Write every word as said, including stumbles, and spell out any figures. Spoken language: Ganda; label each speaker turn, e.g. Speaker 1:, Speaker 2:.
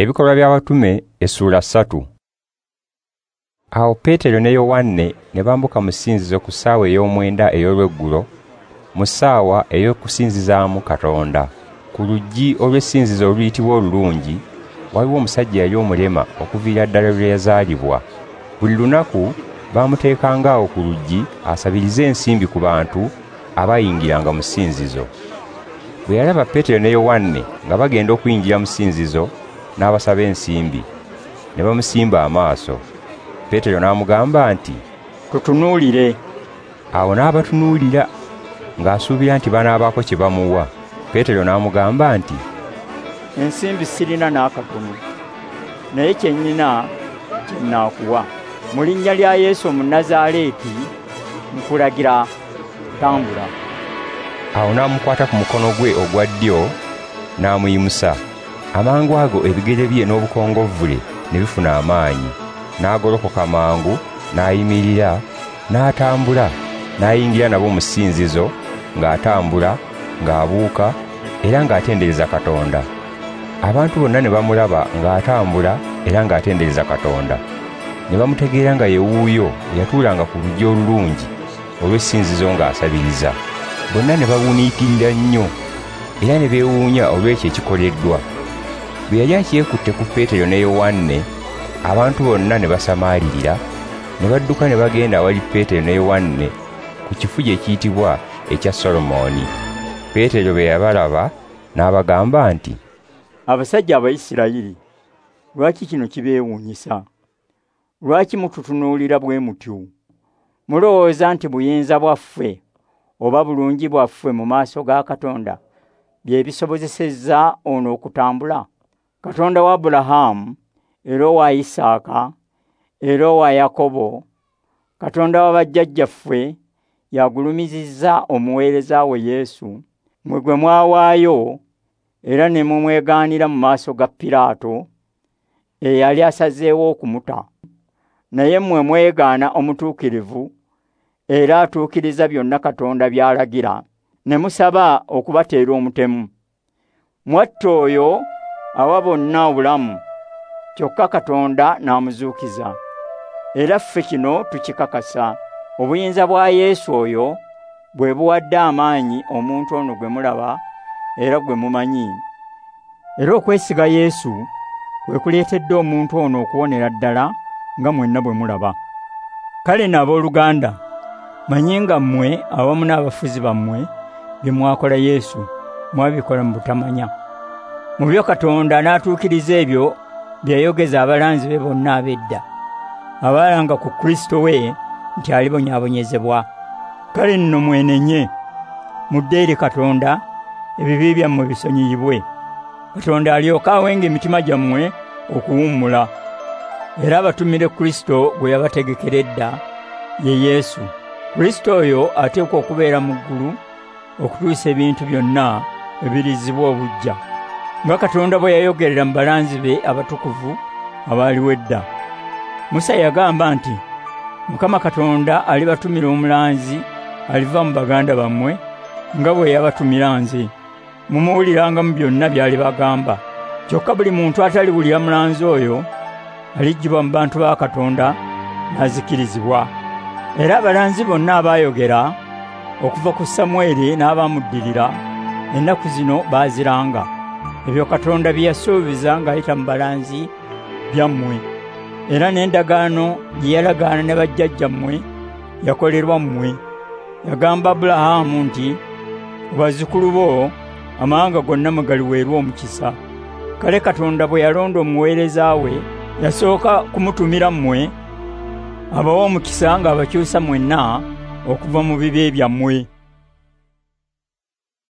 Speaker 1: Ebikolwa by'Abatume essuula ssatu. Awo Peetero ne Yowanne ne bambuka mu ssinzizo ku ssaawa ey'omwenda ey'olweggulo, mu ssaawa ey'okusinzizaamu Katonda. Ku luggi olw'essinzizo oluyitibwa Olulungi waliwo omusajja eyali omulema okuviira ddala lwe yazaalibwa. Buli lunaku baamuteekanga awo ku luggi asabirize ensimbi ku bantu abayingiranga mu ssinzizo. Bwe yalaba Peetero ne Yowanne nga bagenda okuyingira mu ssinzizo, n'abasaba ensimbi, ne bamusimba amaaso. Peetero n'amugamba nti,
Speaker 2: "Tutunuulire."
Speaker 1: Awo n'abatunuulira ng'asuubira nti banaabaako kye bamuwa. Peetero n'amugamba nti,
Speaker 2: "Ensimbi sirina n'akatono, naye kye nnina kye nnaakuwa. Mu linnya lya Yesu Omunnazaaleeti nkulagira, tambula."
Speaker 1: Awo n'amukwata ku mukono gwe ogwa ddyo n'amuyimusa. Amangu ago ebigere bye n'obukongovvule ne bifuna amaanyi. N'agolokoka mangu, n'ayimirira, n'atambula, n'ayingira nabo mu ssinzizo ng'atambula, ng'abuuka era ng'atendereza Katonda. Abantu bonna ne bamulaba ng'atambula era ng'atendereza Katonda. Ne bamutegeera nga ye wuuyo eyatuulanga ku luggi olulungi olw'essinzizo ng'asabiriza. Bonna ne bawuniikirira nnyo era ne beewuunya olw'ekyo ekikoleddwa. Bwe yali akyekutte ku Peetero ne Yowanne, abantu bonna ne basamaalirira, ne badduka ne bagenda awali Peetero ne Yowanne ku kifugi ekiyitibwa ekya Solomoni. Peetero bwe yabalaba n'abagamba nti,
Speaker 2: "Abasajja Abayisirayiri, lwaki kino kibeewuunyisa? Lwaki mututunuulira bwe mutyo? Mulowooza nti buyinza bwaffe oba bulungi bwaffe mu maaso ga Katonda bye bisobozesezza ono okutambula? Katonda wa Abulahamu era owa Isaaka era owa Yakobo, Katonda wa bajjajjaffe, yagulumizizza omuweereza we Yesu, mmwe gwe mwawaayo era ne mumwegaanira mu maaso ga Piraato eyali asazeewo okumuta. Naye mmwe mwegaana omutuukirivu era atuukiriza byonna Katonda by'alagira, ne musaba okubateera omutemu. Mwatta oyo awa bonna obulamu, kyokka Katonda n'amuzuukiza. Era ffe kino tukikakasa. Obuyinza bwa Yesu oyo bwe buwadde amaanyi omuntu ono gwe mulaba era gwe mumanyi. Era okwesiga Yesu kwe kuleetedde omuntu ono okuwonera ddala nga mwenna bwe mulaba. Kale nno abooluganda, manyi nga mmwe awamu n'abafuzi bammwe bye mwakola Yesu mwabikola mu butamanya. Mu byo Katonda n'atuukiriza ebyo bye yayogeza abalanzi be bonna ab'edda, abaalanga ku Kristo we nti alibonyaabonyezebwa. Kale nno mwenenye, mudde eri Katonda, ebibi byammwe bisonyiyibwe. Katonda alyoke awenga emitima gyammwe okuwummula, era abatumire Kristo gwe yabategekera edda, ye Yesu. Kristo oyo ateekwa okubeera mu ggulu okutuusa ebintu byonna ebirizibwa obuggya, nga Katonda bwe yayogerera mu balanzi be abatukuvu abaaliwo edda. Musa yagamba nti, Mukama Katonda alibatumira omulanzi aliva mu baganda bammwe nga bwe yabatumira nze. Mumuwuliranga mu byonna by'alibagamba. Kyokka buli muntu ataliwulira mulanzi oyo aliggyibwa mu bantu ba Katonda n'azikirizibwa. Era abalanzi bonna abaayogera okuva ku Samwiri n'abamuddirira ennaku zino baaziranga ebyo Katonda bye yasuubiza ng'ayita mu balanzi byammwe. Era n'endagaano gye yalagaana ne bajjajjammwe yakolerwa mmwe. Yagamba Abulahamu nti, bazzukulu bo amawanga gonna mwe galiweerwa omukisa. Kale Katonda bwe yalonda omuweereza we, yasooka kumutumira mmwe abawe omukisa ng'abakyusa mwenna okuva mu bibi byammwe."